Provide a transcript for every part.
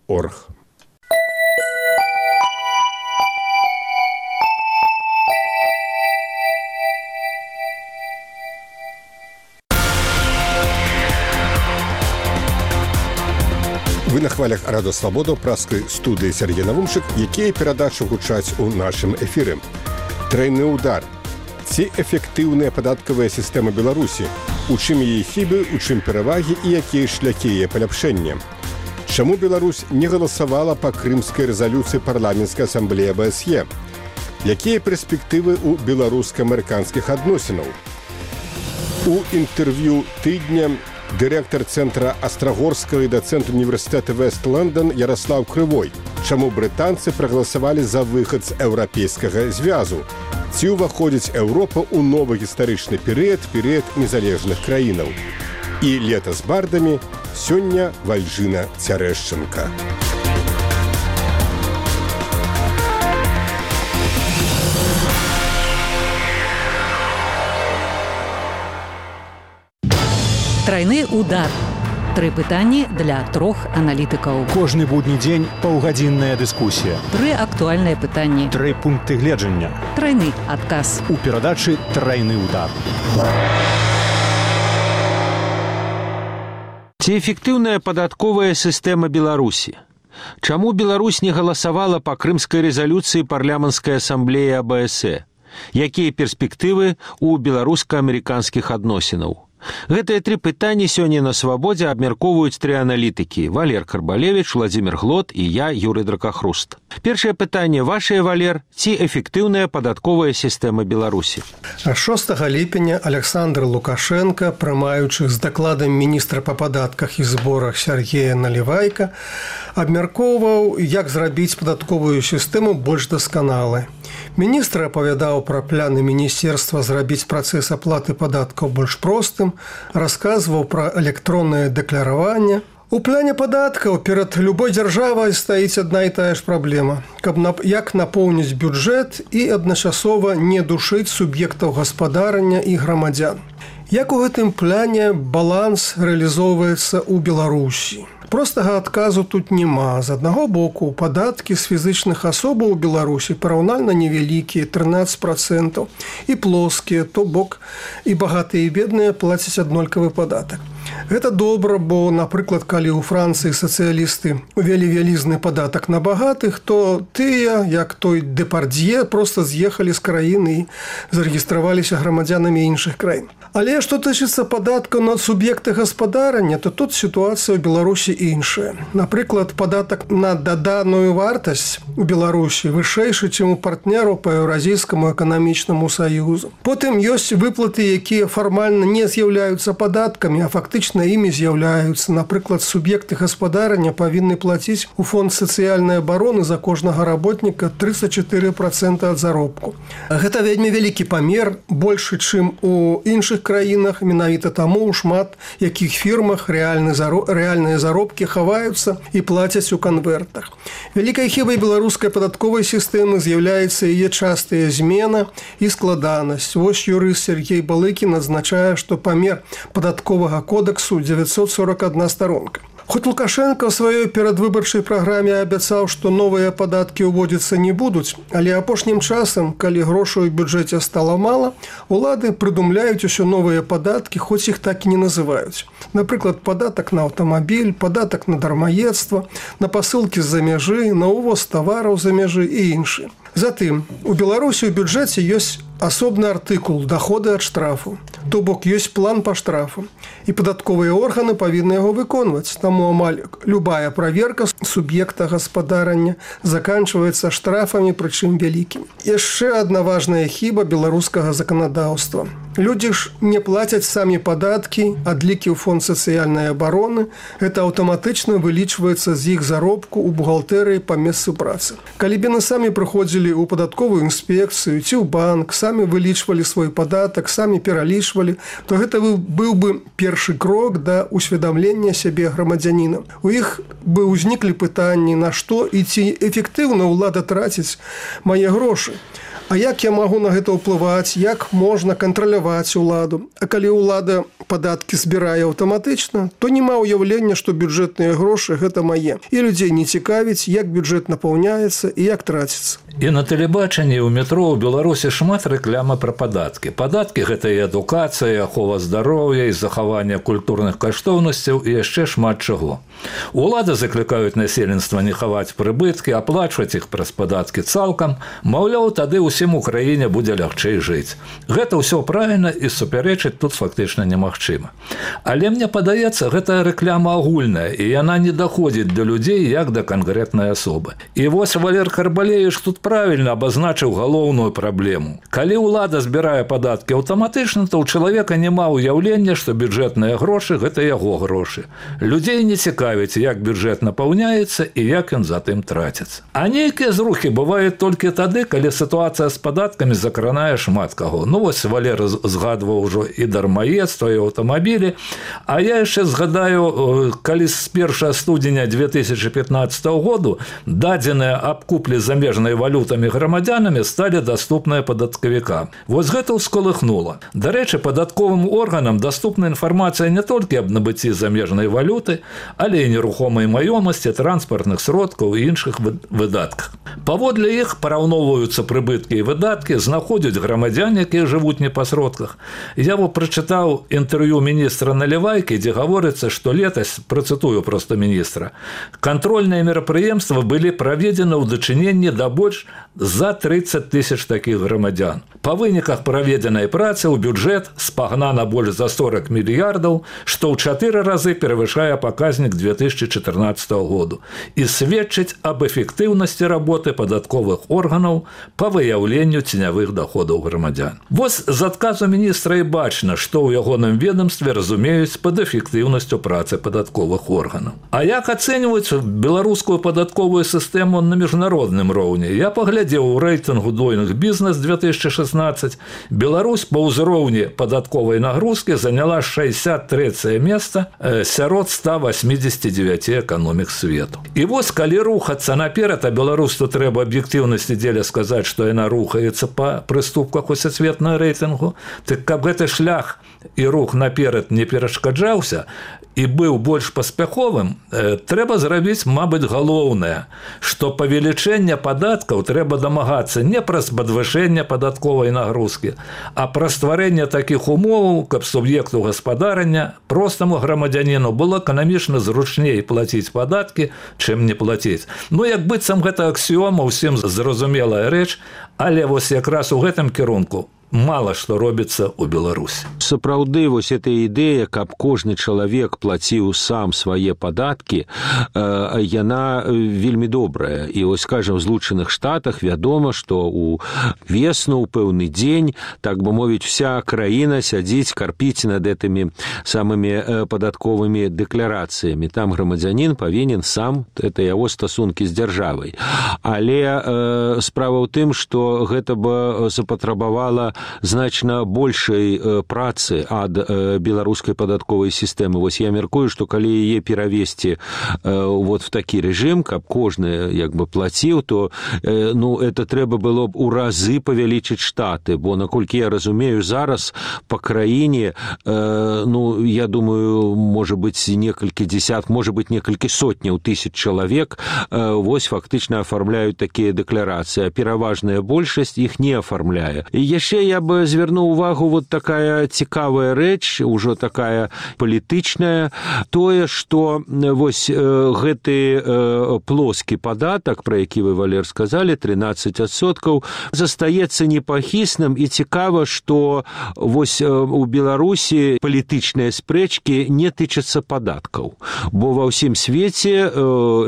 .org. Вы на хвалях Радио Свобода, праскай студыі Сергей Навумчык, якія перадачы гучаць у нашым эфіры. Тройны удар. Ці эфектыўная падаткавая сістэма Беларусі? У чым яе хібы, у чым перавагі і якія шляхі яе паляпшэння? Чаму Беларусь не галасавала па крымскай рэзалюцыі парламенцкай асамблеі АБСЕ? Якія перспектывы ў беларуска-амерыканскіх адносінаў? У інтэрв'ю тыдня дырэктар цэнтра Астрагорскага і дацэнт універсітэта Вест-Лондон Ярослав Крывой. Чаму брытанцы прагаласавалі за выхад з еўрапейскага звязу? Ці ўваходзіць Еўропа ў новы гістарычны перыяд незалежных краінаў? І лета з бардамі, сёння Вальжына Цярэшчынка. Тройны удар. 3 пытанні для 3 аналітыкаў. Кожны будні дзень паўгадзінная дыскусія. 3 актуальныя пытанні. 3 пункты гледжання. Тройны адказ. У перадачы «Тройны удар». Ці эфектыўная падатковая сістэма Беларусі? Чаму Беларусь не галасавала па крымскай рэзалюцыі парламенцкай асамблеі АБСЕ? Якія перспектывы ў беларуска-амерыканскіх адносінаў? Гэтыя 3 пытанні сёння на Свабодзе абмяркоўваюць 3 аналітыкі: Валер Карбалевіч, Владзімір Глот і я, Юрый Дракахруст. Першае пытанне вашае, Валер: ці эфектыўная падатковая сістэма Беларусі? 6 ліпеня Александр Лукашенко, прымаючы з дакладам міністра па падатках і зборах Сергея Налівайка, абмяркоўваў, як зрабіць падатковую сістэму больш дасканалай. Міністр апавядаў пра пляны міністэрства зрабіць працэс аплаты падаткаў больш простым, расказваў пра электроннае дэклараванне. У пляне падаткаў перад любой дзяржавай стаіць адна і тая ж праблема, як напоўніць бюджэт і адначасова не душыць суб'ектаў гаспадарання і грамадзян. Як у гэтым пляне баланс рэалізоўваецца ў Беларусі? Простага адказу тут няма. З аднаго боку, падаткі з фізычных асобаў у Беларусі параўнальна невялікія, 13%, і плоскія, то бок і багатыя і бедныя плацяць аднолькавы падатак. Гэта добра, бо, напрыклад, калі ў Францыі сацыялісты увялі вялізны падатак на багатых, то тыя, як той Депардье, проста з'ехалі з краіны і зарэгістраваліся грамадзянамі іншых краін. Але што тычыцца падаткаў на суб'екты гаспадарання, то тут сітуацыя ў Беларусі іншая. Напрыклад, падатак на даданую вартасць у Беларусі вышэйшы, чым у партнераў па Еўразійскаму эканамічнаму саюзу. Потым ёсць выплаты, якія фармальна не з'яўляюцца падаткамі, а фактычна імі з'яўляюцца. Напрыклад, суб'екты гаспадарання павінны плаціць у фонд сацыяльнай абароны за кожнага работніка 34% ад заробку. Гэта вельмі вялікі памер, большы, чым у іншых краінах, менавіта таму ў шмат якіх фірмах рэальныя заробкі хаваюцца і плацяць у канвертах. Вялікай хібай беларускай падатковай сістэмы з'яўляецца яе частая змена і складанасць. Вось юрыст Сергей Балыкін адзначае, што памер падатковага кодексу 941 старонка. Хоць Лукашенко ў сваёй перадвыбарчай праграме абяцаў, што новыя падаткі ўводзіцца не будуць, але апошнім часам, калі грошай у бюджэце стала мала, улады прыдумляюць усё новыя падаткі, хоць іх так і не называюць. Напрыклад, падатак на аўтамабіль, падатак на дармаедства, на пасылкі з-за мяжы, на ўвоз тавараў з-за мяжы і іншыя. Затым, у Беларусі ў бюджэце ёсць асобны артыкул «Даходы ад штрафу», то бок ёсць план па штрафу, і падатковыя органы павінны яго выконваць. Таму амаль любая праверка суб'екта гаспадарання заканчваецца штрафамі, прычым вялікімі. Яшчэ адна важная хіба беларускага заканадаўства. Людзі ж не плацяць самі падаткі, адлікі ў фонд сацыяльнай абароны. Гэта аўтаматычна вылічваецца з іх заробку ў бухгалтэрыі па месцы працы. Калі б яны самі прыходзілі ў падатковую інспекцыю ці ў банк, самі вылічвалі свой падатак, самі пералічвалі, то гэта быў бы першы крок да усведамлення сябе грамадзяніна. У іх бы ўзніклі пытанні, на што і ці эфектыўна ўлада траціць мае грошы. А як я магу на гэта ўплываць, як можна кантраляваць уладу? А калі ўлада падаткі збірае аўтаматычна, то няма ўяўлення, што бюджэтныя грошы гэта мае. І людзей не цікавіць, як бюджэт напаўняецца і як траціцца. І на тэлебачанні ў метро ў Беларусі шмат рэкламы пра падаткі. Падаткі гэта і адукацыя, і ахова здароўя, і захаванне культурных каштоўнасцяў і яшчэ шмат чаго. Улады заклікаюць насельніцтва не хаваць прыбыткі, аплачваць іх праз падаткі цалкам, маўляў, тады ўсім у краіне будзе лягчэй жыць. Гэта ўсё правільна і супярэчыць тут фактычна немагчыма. Але мне падаецца, гэта рэкляма агульная, і яна не даходзіць да людзей як да канкрэтнай асобы. І вось Валер Карбалевіч тут правильно абазначыў галоўную праблему. Калі ўлада збірае падаткі аўтаматычна, то ў чалавека няма ўяўлення, што бюджэтныя грошы – гэта яго грошы. Людзей не цікавіць, як бюджэт напаўняецца і як ён затым траціцца. А нейкія зрухі бываюць толькі тады, калі сітуацыя з падаткамі закранае шмат каго. Ну вось Валер згадваў ужо і дармаедства, і аўтамабілі. А я яшчэ згадаю, калі з 1 студзеня 2015 году дадзеныя аб куплі замежнай валютамі грамадзянамі сталі даступныя падаткавікам. Вось гэта ўскалыхнула. Дарэчы, падатковым органам даступна інфармацыя не толькі аб набыцці замежнай валюты, але і нерухомай маёмасці, транспартных сродкаў і іншых выдатках. Паводле іх параўноўваюцца прыбыткі і выдаткі, знаходзяць грамадзян, якія жывуць не па сродках. Я прачытаў інтэрв'ю міністра Налівайкі, дзе гаворыцца, што летась, працытую проста міністра, кантрольныя мерапрыемствы былі праведзены ў дачыненні да больш за 30 тысяч такіх грамадзян. Па выніках праведзенай працы ў бюджэт спагнана больш за 40 мільярдаў, што ў 4 разы перавышае паказнік 2014 году і сведчыць аб эфектыўнасці работы падатковых органаў па выяўленню ценявых доходаў грамадзян. Вось з адказу міністра і бачна, што ў ягоным ведомстве разумеюць пад эфектыўнасцю працы падатковых органаў. А як ацэньваюць беларускую падатковую сістэму на міжнародным роўні? Я паглядзеў у рэйтынгу Doing Business 2016. Беларусь па ўзроўні падатковай нагрузкі заняла 63-е месца сярод 189 эканомік свету. І вось калі рухацца наперад, а беларусу трэба аб'ектыўнасці дзеля сказаць, што яна рухаецца па прыступках у сусветнага рэйтынгу, так каб гэты шлях і рух наперад не перашкаджаўся і быў больш паспяховым, трэба зрабіць, мабыць, галоўнае, што павелічэнне падаткаў трэба дамагацца не праз падвышэнне падатковай нагрузкі, а праз стварэнне такіх умоваў, каб суб'екту гаспадарання, простаму грамадзяніну было эканамічна зручней плаціць падаткі, чым не плаціць. Ну, як быццам гэта аксіома, усім зразумелая рэч, але вось якраз у гэтым кірунку мала што робіцца ў Беларусі. Сапраўды, вось эта ідэя, каб кожны чалавек плаціў сам свае падаткі, яна вельмі добрая. І вось, скажем, в Злучаных Штатах вядома, што ў весну, ў пэўны дзень, так бы мовіць, вся краіна сядзіць, карпіць над гэтымі самымі падатковымі дэкларацыямі. Там грамадзянін павінен сам, это яго стасункі з дзяржавай. Але справа ў тым, што гэта бы запатрабавала значна большай працы ад беларускай падатковай сістэмы. Вось я мяркую, што калі яе перавесці вот в такі рэжым, каб кожны як бы плаціў, то ну, это трэба было б у разы павялічыць штаты, бо, наколькі я разумею, зараз па краіне, ну, я думаю, можа быць некалькі дзесят, можа быць некалькі сотняў тысяч чалавек вось фактычна афармляюць такія дэкларацыі, а пераважная большасць іх не афармляе. І яшчэ я бы звярнуў увагу вот такая цікавая рэч, ужо такая палітычная, тое, што вось гэты плоскі падатак, пра які вы, Валер, сказалі, 13%, застаецца непахісным, і цікава, што вось у Беларусі палітычныя спрэчкі не тычацца падаткаў, бо ва ўсім свеце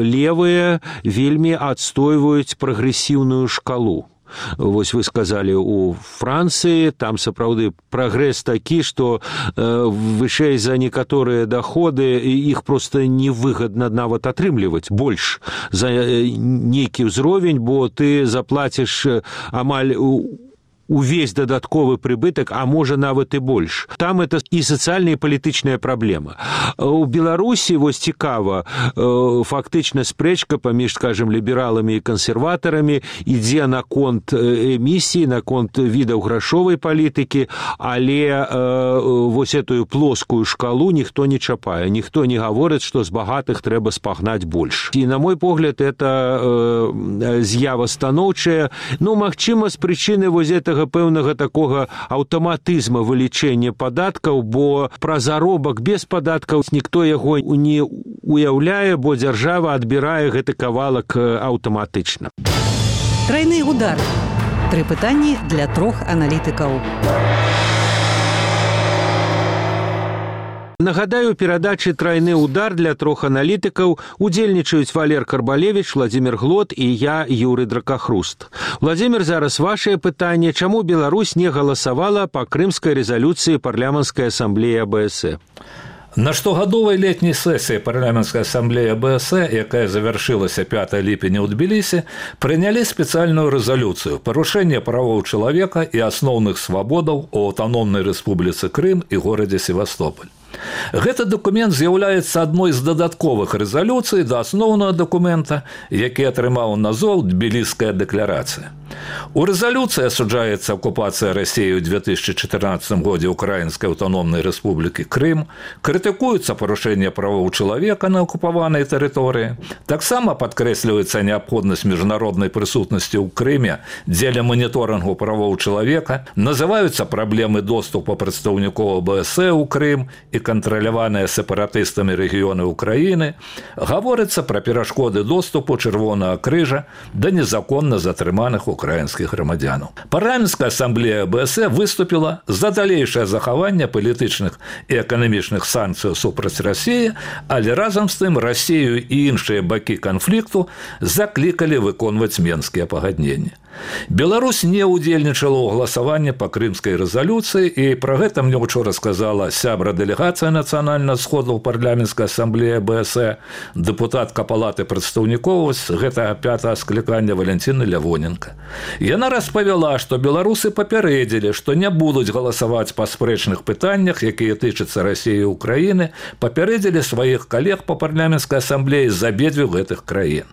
левыя вельмі адстойваюць прагрэсіўную шкалу. Вось вы сказалі, у Францыі там сапраўды прагрэс такі, што вышэй за некаторыя даходы іх проста невыгадна нават атрымліваць больш за нейкі ўзровень, бо ты заплаціш амаль увесь дадатковы прыбытак, а можа нават і больш. Там это і сацыяльная і палітычная праблема. У Беларусі вось цікава, фактычна спрэчка паміж, скажем, лібераламі і кансерватарамі ідзе наконт эмісіі, наконт відаў грашовай палітыкі, але вось этую плоскую шкалу ніхто не чапае, ніхто не гаворыць, што з багатых трэба спагнаць больш. І на мой погляд, это з'ява станоўчая, магчыма, з прычыны вось гэтага пэўнага такога аўтаматызма вылічэння падаткаў, бо пра заробак без падаткаў ніхто яго не уяўляе, бо дзяржава адбірае гэты кавалак аўтаматычна. Трайны удар. 3 пытанні для 3 аналітыкаў. Нагадаю, у перадачы «Трайны удар» для 3 аналітыкаў удзельнічаюць Валер Карбалевіч, Владзімір Глот і я, Юрый Дракахруст. Владзімір, зараз вашае пытанне. Чаму Беларусь не галасавала па крымскай рэзалюцыі парламенцкай асамблеі АБС? На штогадовай летняй сесіі парламенцкай асамблеі АБС, якая завяршылася 5 ліпеня ў Тбілісі, прынялі спецыяльную рэзалюцыю «Парушэнне правоў чалавека і асноўных свабодаў у аўтаномнай рэспубліцы Крым і горадзе Севастополь». Гэты дакумент з'яўляецца адной з дадатковых рэзалюцый да асноўнага дакумента, які атрымаў назву «Тбіліская дэкларацыя». У рэзалюцыі асуджаецца акупацыя Расіі ў 2014 годзе Украінскай аўтаномнай рэспублікі Крым, крытыкуецца парушэнне правоў чалавека на акупаванай тэрыторыі, таксама падкрэсліваецца неабходнасць міжнароднай прысутнасці ў Крыме дзеля маніторынгу правоў чалавека, называюцца праблемы доступу прадстаўнікоў АБС ў Крым і кантраляваныя сепаратыстамі рэгіёны Украіны, гаворыцца пра перашкоды доступу Чырвонага крыжа да незаконна затрыманых украінскіх грамадзянаў. Парламенцкая асамблея АБС выступіла за далейшае захаванне палітычных і эканамічных санкцыяў супраць Расіі, але разам з тым Расію і іншыя бакі канфлікту заклікалі выконваць Менскія пагадненні. Беларусь не ўдзельнічала ў галасаванні па крымскай рэзалюцыі, і пра гэта мне учора сказала сябра дэлегацыя нацыянальнага сходу ў парламенцкай асамблеі АБС, дэпутатка палаты прадстаўнікоў гэтага 5-го склікання Валентина Лявоненко. Яна распавяла, што беларусы папярэдзілі, што не будуць галасаваць па спрэчных пытаннях, якія тычацца Расіі і Украіны, папярэдзілі сваіх калег па парламенцкай асамблеі з абедзвюх гэтых краін.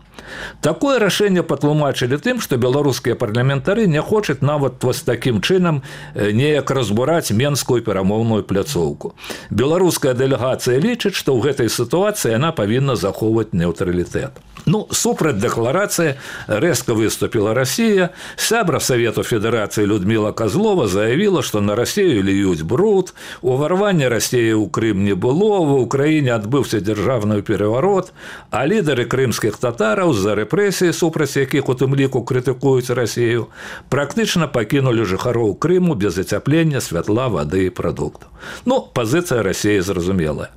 Такое рашэнне патлумачылі тым, што беларускія парламентары не хочуць нават вось такім чынам неяк разбураць менскую перамоўную пляцоўку. Беларуская дэлегацыя лічыць, што ў гэтай сітуацыі яна павінна захоўваць нейтралітэт. Супраць дэкларацыі рэзка выступіла Расія. Сябра Савету Федэрацыі Людміла Казлова заявіла, што на Расію льюць бруд, уварвання Расіі ў Крым не было, ва ўкраіне адбыўся дзяржаўны пераварот, а лідары крымскіх татараў з-за рэпрэсіі, супраць якіх у тым ліку крытыкуюць Расію, практычна пакінулі жыхароў Крыму без ацяплення, святла, вады і прадуктаў. Пазіцыя Расіі зразумелая.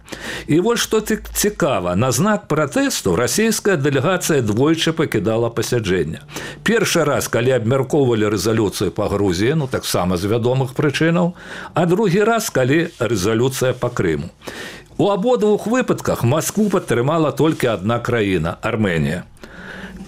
І вось што цікава, на знак пратэсту расійская дэлегацыя двойчы пакідала пасяджэнне. Першы раз, калі абмяркоўвалі рэзалюцыю па Грузіі, таксама з вядомых прычынаў, а другі раз, калі рэзалюцыя па Крыму. У абодвух выпадках Маскву падтрымала толькі адна краіна – Арменія.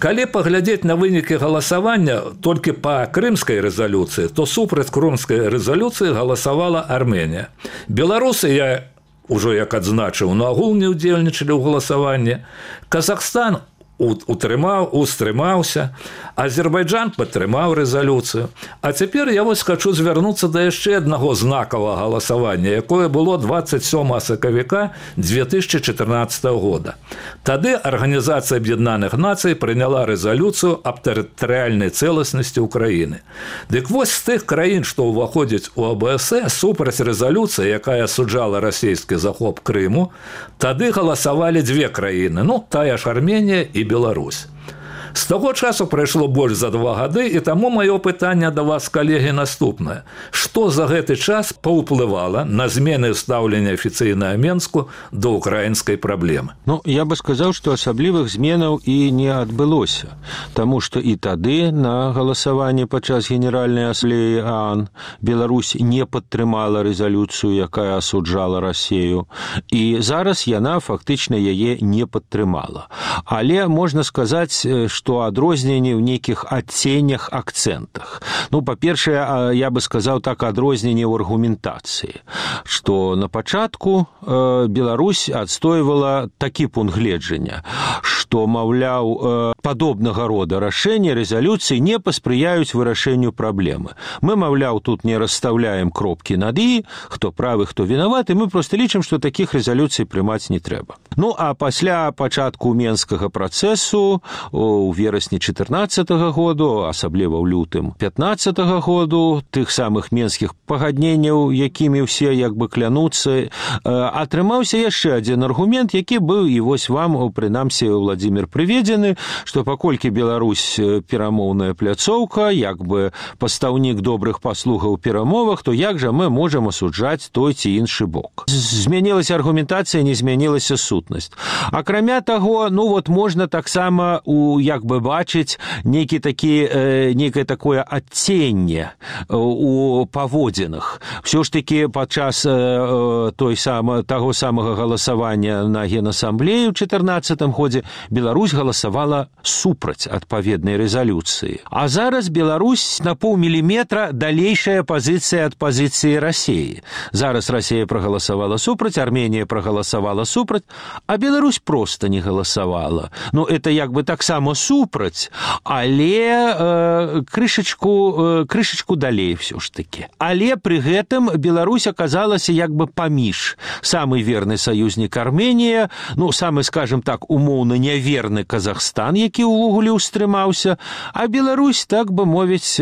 Калі паглядзець на вынікі галасавання толькі па крымскай рэзалюцыі, то супраць крымскай рэзалюцыі галасавала Арменія. Беларусы, я ўжо як адзначыў, нагул не ўдзельнічалі ў галасаванні. Казахстан устрымаўся, Азербайджан падтрымаў рэзалюцыю. А цяпер я вось хачу звярнуцца да яшчэ аднаго знакавага галасавання, якое было 27 сакавіка 2014 года. Тады Арганізацыя Аб'яднаных Нацый прыняла рэзалюцыю аб тэрытарыяльнай цэласнасці Украіны. Дык вось з тых краін, што ўваходзяць у АБС, супраць рэзалюцыі, якая асуджала расійскі захоп Крыму, тады галасавалі дзве краіны, тая ж Арменія і Беларусь. З таго часу прайшло больш за 2 гады, і таму маё пытанне да вас, калегі, наступнае. Што за гэты час паўплывала на змены стаўлення афіцыйнага Менску да ўкраінскай праблемы? Я бы сказаў, што асаблівых зменаў і не адбылося, таму што і тады на галасаванні падчас Генеральнай асамблеі ААН Беларусь не падтрымала рэзалюцыю, якая асуджала Расію, і зараз яна фактычна яе не падтрымала. Але можна сказаць, што адрозненні ў нейкіх адценнях, акцэнтах. Ну, па-першае, я бы сказаў так, адрозненне ў аргументацыі, што на пачатку Беларусь адстойвала такі пункт гледжання, што, маўляў, падобнага рода рашэнні рэзалюцыі не паспрыяюць вырашэнню праблемы. Мы, маўляў, тут не расстаўляем кропкі над «і», хто правы, хто вінаваты, мы проста лічым, што такіх рэзалюцый прымаць не трэба. Ну, а пасля пачатку Менскага працэсу у верасні 14 году, асабліва ў лютым 15 году, тых самых менскіх пагадненняў, якімі ўсе як бы клянуцца, атрымаўся яшчэ адзін аргумент, які быў і вось вам, прынамсі, Владзімір прыведзены, што паколькі Беларусь перамоўная пляцоўка, як бы пастаўнік добрых паслугаў у перамовах, то як жа мы можам асуджаць той ці іншы бок. Змянілася аргументацыя, не змянілася сутнасць. Акрамя таго, ну вот можна таксама як бы бачыць некае такое адценне у паводзінах. Всё ж таки падчас таго самага галасавання на Генасамблеі ў 14 годзе Беларусь галасавала супраць адпаведнай рэзалюцыі. А зараз Беларусь на паўміліметра далейшая пазіцыя ад пазіцыі Расіі. Зараз Расія прагаласавала супраць, Арменія прагаласавала супраць, а Беларусь проста не галасавала. Ну, это як бы таксама супраць, але крышачку далей всё ж таки. Але пры гэтым Беларусь аказалася як бы паміж. Самы верны саюзнік Арменія, ну, самы, скажем так, умоўна няверны Казахстан, які ўвогуле ўстрымаўся, а Беларусь, так бы мовіць,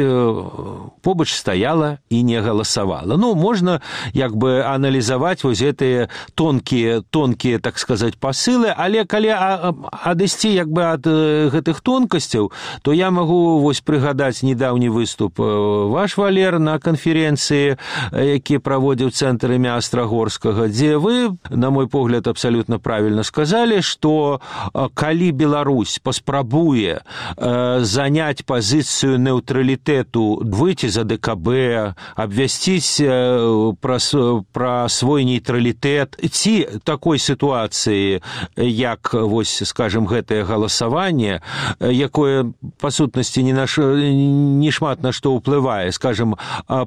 побач стаяла і не галасавала. Ну, можна як бы аналізаваць вось гэтыя тонкія, так сказаць, пасылы, але калі адысці як бы ад гэтых тонкасцяў, то я магу вось прыгадаць недаўні выступ ваш, Валер, на канферэнцыі, які праводзіў цэнтр імя Астрагорскага, дзе вы, на мой погляд, абсалютна правільна сказалі, што калі Беларусь паспрабуе заняць пазіцыю нейтралітэту, выйти за ДКБ, абвясціць пра свой нейтралітэт, ці такой сітуацыі, як, вось, скажем, гэтае галасаванне, якое, па сутнасці, не шмат на што ўплывае, скажем,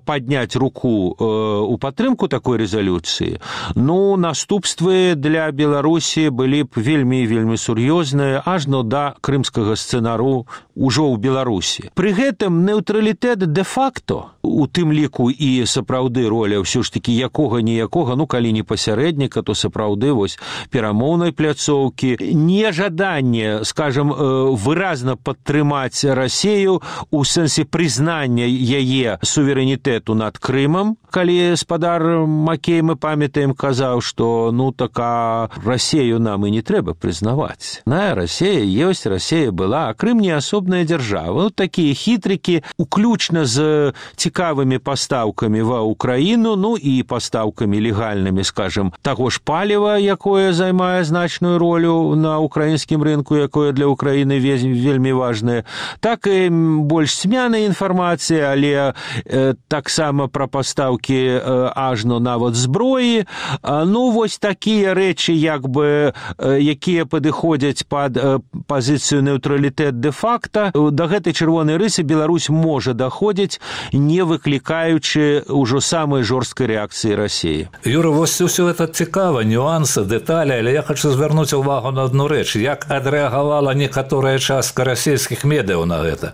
падняць руку у падтрымку такой рэзалюцыі, ну, наступствы для Беларусі былі б вельмі сур'ёзныя, ажно да крымскага сцэнару ўжо ў Беларусі. Пры гэтым нейтралітэт де-факто, у тым ліку і сапраўды роля ўсё ж такі якога-ніякога, ну, калі не пасярэдніка, то сапраўды вось перамоўнай пляцоўкі, нежаданне, скажем, выразна падтрымаць Расію у сэнсе прызнання яе суверэнітэту над Крымам, калі спадар Макей, мы памятаем, казаў, што ну така Расію нам і не трэба прызнаваць. Расія ёсць, Расія была, а Крым не асобная дзяржава. Вот такія хітрыкі, уключна з цікавымі пастаўкамі ва Украіну, ну і пастаўкамі легальнымі, скажем, таго ж паліва, якое займае значную ролю на украінскім рынку, якое для Украіны вельмі важнае. Так і больш цьмяная інфармацыя, але таксама пра пастаўкі ажно нават зброі. Ну, вось такія рэчы, як бы, якія падыходзяць пад пазіцыю нейтралітэт де-факта, да гэтай чырвонай рысы Беларусь можа даходзіць, не выклікаючы ўжо самай жорсткай рэакцыі Расіі. Юра, вось усё это цікава, нюансы, дэталі, але я хочу звярнуць увагу на одну рэч. Як адрэагавала некаторая частка расійскіх медыяў на гэта?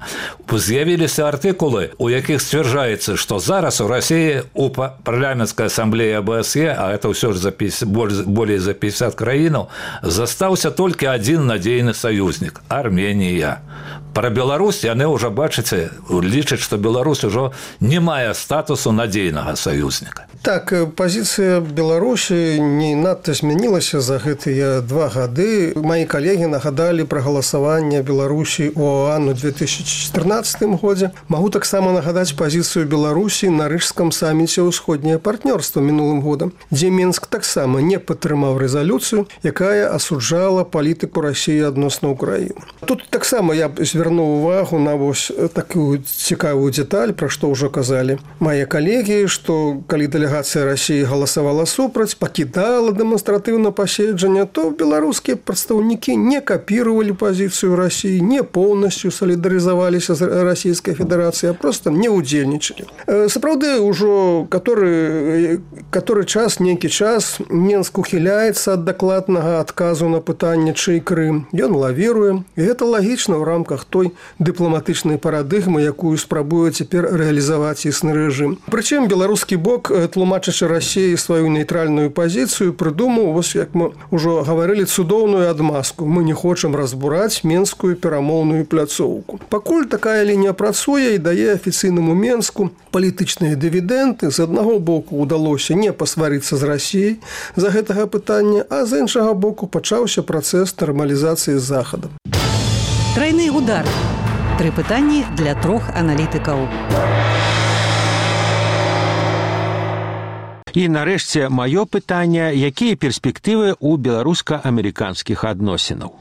З'явіліся артыкулы, у якіх сцвярджаецца, што зараз у Расіі у парламенцкай асамблеі АБСЕ, а это ўсё ж болей за 50 краінаў, застаўся толькі адзін надзейны саюзнік – Арменія. Пра Беларусь яны ўжо, бачыце, лічаць, што Беларусь ужо не мае статусу надзейнага саюзніка. Так, пазіцыя Беларусі не надта змянілася за гэтыя 2 гады. Мои калегі нагадалі пра галасаванне Беларусі у ОАН у 2014 годзе. Магу таксама нагадаць пазіцыю Беларусі на рыжском саміце ўсходняе партнёрства мінулым годам, дзе Мінск таксама не падтрымаў рэзалюцыю, якая асуджала палітыку Расіі адносна Украіны. Тут таксама я звярнуў увагу на вось такую цікавую дэталь, пра што ўжо казалі мае калегі, што калі дэлегацыя России галасавала супраць, пакідала дэманстратыўна паседжанне, то беларускія прадстаўнікі не капіравалі пазіцыю России, не поўнасцю салідарызаваліся з Расійскай Федэрацыяй, а проста не ўдзельнічалі. Сапраўды, ужо нейкі час Менск ухіляецца ад дакладнага адказу на пытанне, чый Крым. Ён лавіруе, і гэта лагічна ў рамках той дыпламатычнай парадыгмы, якую спрабуе цяпер рэалізаваць існы рэжым. Прычым беларускі бок, тлумачачы Расіі сваю нейтральную пазіцыю, прыдумаў, вось як мы ўжо гаварылі, цудоўную адмазку. Мы не хочам разбураць менскую перамоўную пляцоўку. Пакуль такая лінія працуе і дае афіцыйнаму Менску палітычныя дывідэнты. З аднаго боку удалося не пасварыцца з Расіяй за гэтага пытання, а з іншага боку пачаўся працэс нармалізацыі з Захадам. Трайны удар. 3 пытанні для 3 аналітыкаў. І нарэшце маё пытанне, якія перспектывы ў беларуска-амерыканскіх адносінаў.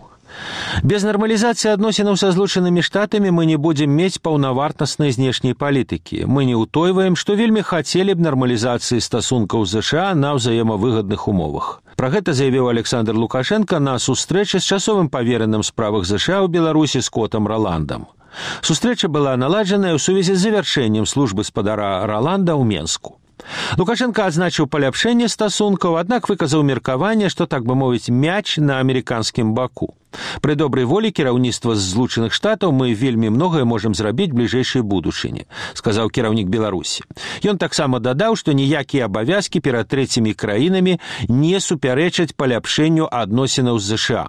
Без нармалізацыі адносінаў са Злучанымі Штатамі мы не будзем мець паўнавартаснай знешняй палітыкі. Мы не ўтойваем, што вельмі хацелі б нармалізацыі стасункаў з ЗША на ўзаемавыгадных умовах. Пра гэта заявіў Александр Лукашенко на сустрэчы з часовым павераным справах ЗША ў Беларусі Скотам Роландам. Сустрэча была наладжаная ў сувязі з завяршэннем службы спадара Роланда ў Менску. Лукашенко адзначыў паляпшэнне стасункаў, аднак выказаў меркаванне, што, так бы мовіць, мяч на амерыканскім баку. Пры добрай волі кіраўніцтва з Злучаных Штатаў мы вельмі многае можам зрабіць бліжэйшай будучыні, сказаў кіраўнік Беларусі. Ён таксама дадаў, што ніякія абавязкі перад трэцімі краінамі не супярэчаць паляпшэнню адносінаў з ЗША.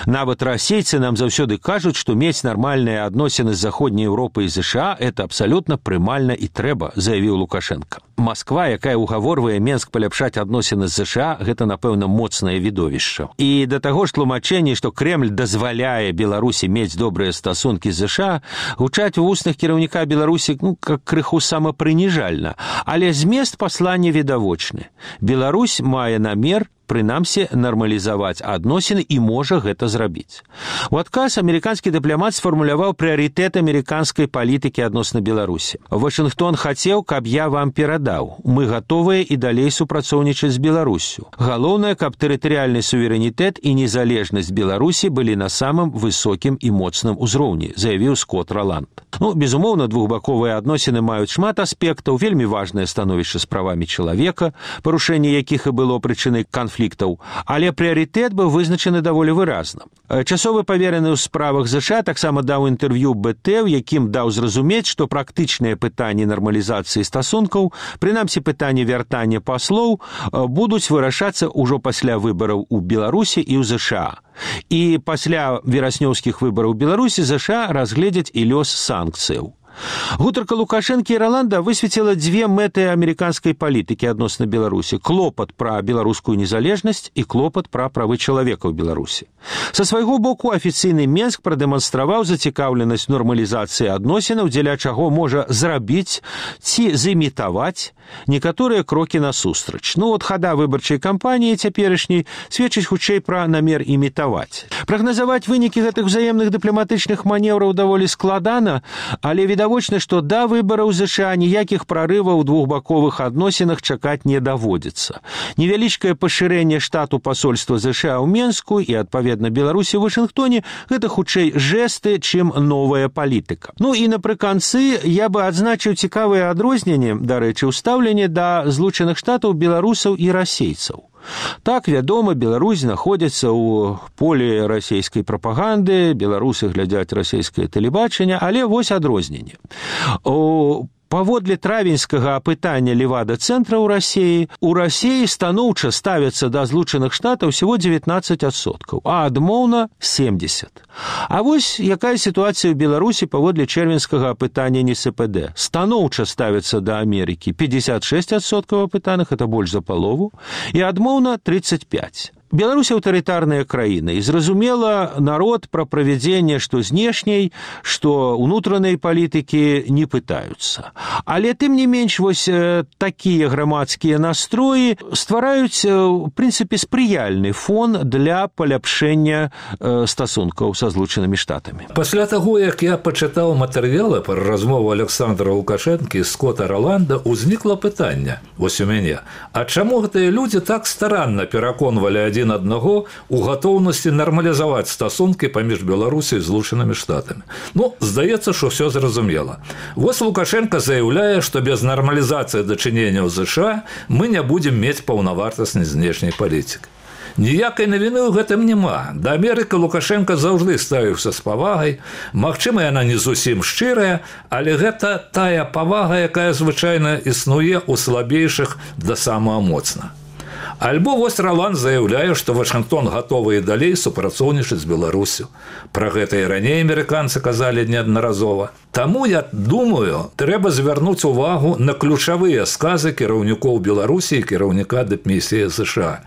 Нават расейцы нам заўсёды кажуць, што мець нармальныя адносіны з Заходняй Еўропай і ЗША – это абсалютна прымальна і трэба, заявіў Лукашенко. Масква, якая ўгаворвае Менск паляпшаць адносіны з ЗША, гэта, напэўна, моцнае відовішча. І да таго ж тлумачэнні, што Крэмль дазваляе Беларусі мець добрыя стасункі з ЗША, гучаць у вуснах кіраўніка Беларусі как крыху самапрыніжальна. Але змест паслання відавочны. Беларусь мае намер прынамсі нармалізаваць адносіны і можа гэта зрабіць. У адказ амерыканскі дыпламат сфармуляваў прыярытэт амерыканскай палітыкі адносна Беларусі. Вашынгтон хацеў, каб я вам перадаў. Мы гатовыя і далей супрацоўнічаць з Беларуссю. Галоўнае, каб тэрытарыяльны суверэнітэт і незалежнасць Беларусі былі на самым высокім і моцным узроўні, заявіў Скот Роланд. Безумоўна, двухбаковыя адносіны маюць шмат аспектаў, вельмі важнае становішча з правамі чалавека, парушэнне якіх і было прычынай канфліктаў, але прыярытэт быў вызначаны даволі выразна. Часовы павераны ў справах ЗША таксама даў інтэрв'ю БТ, у якім даў зразумець, што практычныя пытанні нармалізацыі стасункаў, прынамсі пытанні вяртання паслоў, будуць вырашацца ўжо пасля выбараў у Беларусі і ў ЗША. І пасля вераснёўскіх выбараў у Беларусі ЗША разгледзяць і лёс санкцыяў. Гутарка Лукашэнкі і Роланда высветліла 2 мэты амерыканскай палітыкі адносна Беларусі: клопат пра беларускую незалежнасць і клопат пра правы чалавека ў Беларусі. Са свайго боку афіцыйны Менск прадэманстраваў зацікаўленасць нормалізацыі адносінаў, дзеля чаго можа зрабіць ці зімітаваць некаторыя крокі насустрач. Хада выбарчай кампаніі цяперашняй сведчыць хутчэй пра намер імітаваць. Прагназаваць вынікі гэтых узаемных дыпламатычных манеўраў даволі складана, але відавочна, што да выбараў ЗША ніякіх прарываў у двухбаковых адносінах чакаць не даводзіцца. Невялічкае пашырэнне штату пасольства ЗША ў Менску і, адпаведна, Беларусі ў Вашынгтоне – гэта хутчэй жэсты, чым новая палітыка. І напрыканцы я бы адзначыў цікавыя адрозненні, дарэчы, стаўленне да Злучаных Штатаў, беларусаў і расейцаў. Так, вядома, Беларусь знаходзіцца ў полі расійскай прапаганды, беларусы глядзяць расійскае тэлебачанне, але вось адрозненне. Паводле травеньскага апытання Левада-цэнтра ў Расіі станоўча ставяцца да Злучаных Штатаў всего 19%, а адмоўна 70%. А вось якая сітуацыя ў Беларусі паводле чэрвеньскага апытання НСПД. Станоўча ставяцца да Амерыкі 56% апытаных, это больш за палову, і адмоўна 35%. Беларусь аўтарытарная краіна, і зразумела, народ пра правядзенне што знешняй, што ўнутранай палітыкі не пытаюцца. Але тым не менш вось такія грамадскія настроі ствараюць у прынцыпе спрыяльны фон для паляпшэння стасункаў са Злучанымі Штатамі. Пасля таго, як я пачытаў матэрыялы пра размову Александра Лукашэнкі і Скотта Роланда, узнікла пытанне вось у мяне: а чаму гэтыя людзі так старанна пераконвалі адзін аднаго у гатоўнасці нармалізаваць стасункі паміж Беларусі і Злучанымі Штатамі? Ну, здаецца, што ўсё зразумела. Вось Лукашенко заяўляе, што без нармалізацыі дачыненняў ЗША мы не будзем мець паўнавартаснай знешняй палітыкі. Ніякай навіны ў гэтым няма. Да Амерыкі Лукашенко заўжды ставіўся з павагай. Магчыма, яна не зусім шчырая, але гэта тая павага, якая звычайна існуе ў слабейшых да самага моцна. Альбо вось Роланд заяўляе, што Вашынгтон гатовы і далей супрацоўнічаць з Беларусю. Пра гэта і раней амерыканцы казалі неаднаразова. Таму, я думаю, трэба звярнуць увагу на ключавыя сказы кіраўнікоў Беларусі і кіраўніка дыпмісіі ЗША.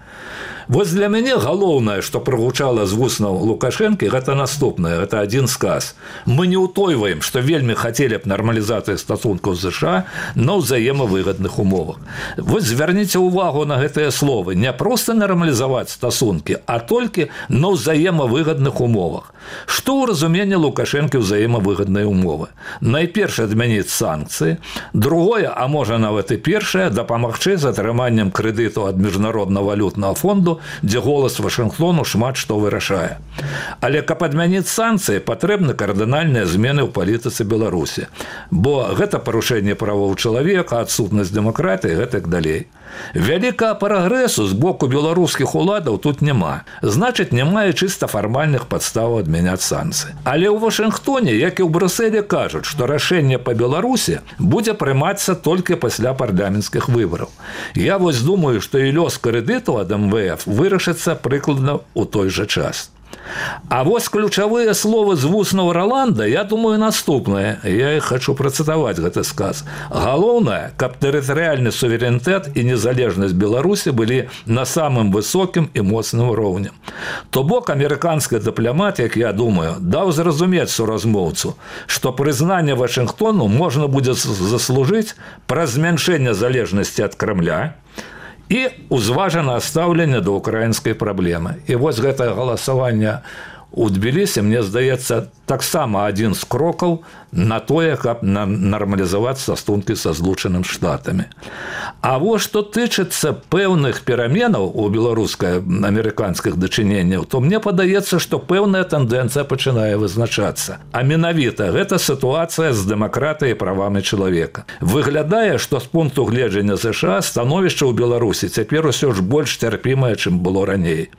Вось для мяне галоўнае, што прагучала з вуснаў Лукашэнкі, гэта наступнае, гэта адзін сказ. Мы не ўтойваем, што вельмі хацелі б нармалізацыі стасункаў з ЗША на ўзаемавыгадных умовах. Вось звярніце ўвагу на гэтыя словы. Не проста нармалізаваць стасункі, а толькі на ўзаемавыгадных умовах. Што ў разуменні Лукашэнкі ўзаемавыгадныя умовы? Найперш адмяніць санкцыі, другое, а можа нават і першае, дапамагчы з атрыманнем крэдыту ад міжнароднага валютнага фонду, дзе голас Вашынгтону шмат што вырашае. Але каб адмяніць санкцыі, патрэбны кардынальныя змены ў палітыцы Беларусі, бо гэта парушэнне правоў чалавека, адсутнасць дэмакратыі і гэтак далей. Вялікага прагрэсу з боку беларускіх уладаў тут няма. Значыць, няма і чыста фармальных падставаў адмяняць санкцыі. Але ў Вашынгтоне, як і ў Брюсселі, кажуць, што рашэнне па Беларусі будзе прымацца толькі пасля парламенцкіх выбараў. Я вось думаю, што і лёс крэдыту ад МВФ вырашыцца прыкладна ў той жа час. А вось ключавыя словы з вуснаў Роланда, я думаю, наступнае. Я іх хочу працытаваць гэты сказ. Галоўнае, каб тэрытарыяльны суверэнітэт і незалежнасць Беларусі былі на самым высокім і моцным роўні. То бок амерыканскі дыпламат, як я думаю, даў зразумець суразмоўцу, што прызнанне Вашынгтону можна будзе заслужыць праз змяншэнне залежнасці ад Крамля і узважанае стаўленне да ўкраінскай праблемы. І вось гэтае галасаванне у Тбілісі, мне здаецца, таксама адзін з крокаў на тое, каб нармалізаваць стасункі са Злучанымі Штатамі. А вось што тычыцца пэўных пераменаў у беларуска-амерыканскіх дачыненняў, то мне падаецца, што пэўная тэндэнцыя пачынае вызначацца. А менавіта гэта сітуацыя з дэмакратыяй і правамі чалавека. Выглядае, што з пункту гледжання ЗША становішча ў Беларусі цяпер усё ж больш цярпімае, чым было раней.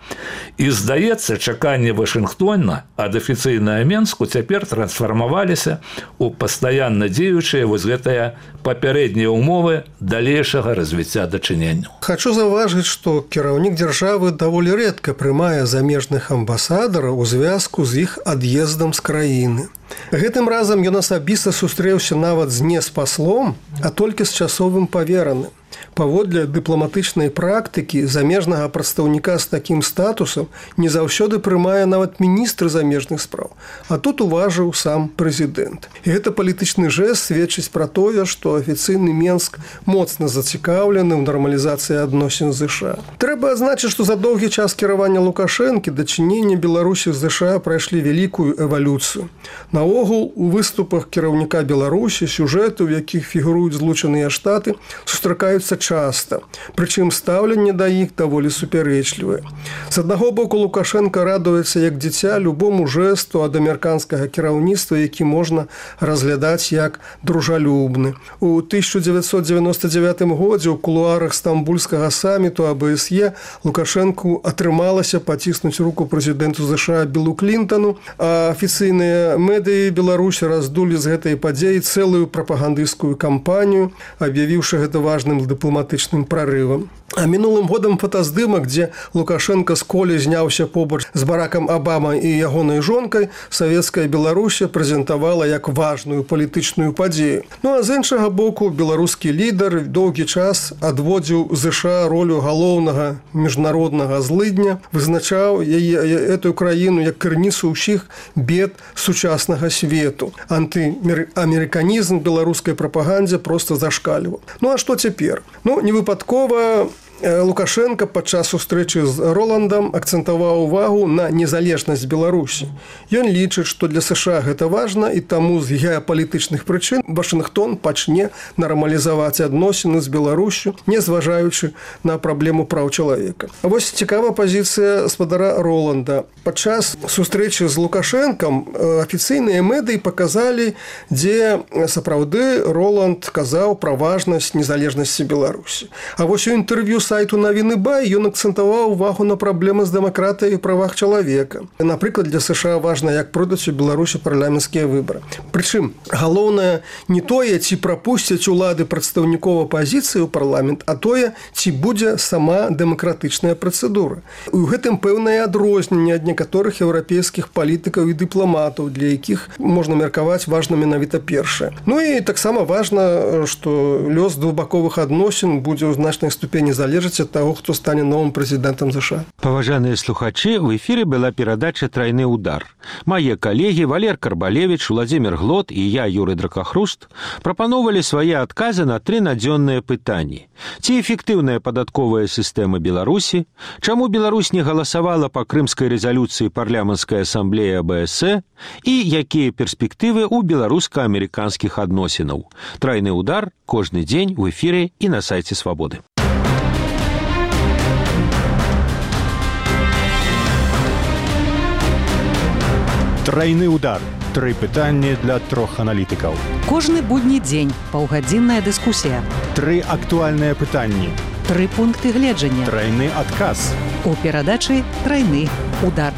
І здаецца, чаканні Вашынгтона ад афіцыйнага Менску цяпер трансфармаваліся у пастаянна дзеючыя вось гэтыя папярэднія ўмовы далейшага развіцця дачыненняў. Хачу заўважыць, што кіраўнік дзяржавы даволі рэдка прымае замежных амбасадараў у звязку з іх ад'ездам з краіны. Гэтым разам ён асабіста сустрэўся нават не з паслом, а толькі з часовым павераным. Паводле дыпламатычнай практыкі замежнага прадстаўніка з такім статусам не заўсёды прымае нават міністр замежных спраў, а тут уважыў сам прэзідэнт. І гэта палітычны жэст сведчыць пра тое, што афіцыйны Менск моцна зацікаўлены ў нармалізацыі адносін з ЗША. Трэба адзначыць, што за доўгі час кіравання Лукашэнкі дачыненні Беларусі з ЗША прайшлі вялікую эвалюцыю. Наогул, у выступах кіраўніка Беларусі сюжэты, у якіх фігуруюць Злучаныя Штаты, сустракаюцца часта, прычым стаўленне да іх даволі супярэчлівае. З аднаго боку, Лукашенко радуецца як дзіця любому жэсту ад амерыканскага кіраўніцтва, які можна разглядаць як дружалюбны. У 1999 годзе ў кулуарах стамбульскага саміту АБСЕ Лукашенку атрымалася паціснуць руку прэзідэнту ЗША Білу Клінтану, а афіцыйныя медыі Беларусі раздулі з гэтай падзеі цэлую прапагандысцкую кампанію, аб'явіўшы гэта важным дыпламатычным прарывам. А мінулым годам фотаздымак, дзе Лукашенко з колі зняўся побач з Баракам Абама і ягонай жонкай, савецкая Беларусія прэзентавала як важную палітычную падзею. Ну а з іншага боку, беларускі лідар доўгі час адводзіў ЗША ролю галоўнага міжнароднага злыдня, вызначаў эту краіну як крыніцу ўсіх бед сучаснага свету. Антыамерыканізм беларускай прапагандзе проста зашкальваў. Ну а што цяпер? Ну, не выпадкова Лукашенко падчас сустрэчы з Роландам акцэнтаваў увагу на незалежнасць Беларусі. Ён лічыць, што для США гэта важна, і таму з геапалітычных прычын Вашынгтон пачне нармалізаваць адносіны з Беларусю, не зважаючы на праблему праў чалавека. А вось цікавая пазіцыя спадара Роланда. Падчас сустрэчы з Лукашэнкам афіцыйныя медыі паказалі, дзе сапраўды Роланд казаў пра важнасць незалежнасці Беларусі. А вось у інтэрв'ю сайту «Навіны Бай» ён акцэнтаваў увагу на праблемы з дэмакратыяй і правах чалавека. Напрыклад, для США важна, як пройдуць у Беларусі парламенцкія выбары. Прычым, галоўнае не тое, ці прапусцяць улады прадстаўнікоў апазіцыі ў парламент, а тое, ці будзе сама дэмакратычная працэдура. У гэтым пэўнае адрозненне ад некаторых еўрапейскіх палітыкаў і дыпламатаў, для якіх можна меркаваць важна менавіта першае. Ну і таксама важна, што лёс двухбаковых адносін будзе ў значнай ступені залежаць ад таго, хто стане новым прэзідэнтам ЗША. Паважаныя слухачы, в эфіры была перадача «Трайны удар». Мае калегі Валер Карбалевіч, Владзімір Глот і я, Юрый Дракахруст, прапаноўвалі свае адказы на 3 надзённыя пытанні. Ці эфектыўная падатковая сістэма Беларусі? Чаму Беларусь не галасавала па крымскай рэзалюцыі парламенцкай асамблеі АБС? І якія перспектывы ў беларуска-амерыканскіх адносінаў? «Трайны удар» кожны дзень у эфіры і на сайце Свабоды. Трайны удар. 3 пытанні для 3 аналітыкаў. Кожны будні дзень паўгадзінная дыскусія. 3 актуальныя пытанні. 3 пункты гледжання. Трайны адказ. У перадачы «Трайны удар».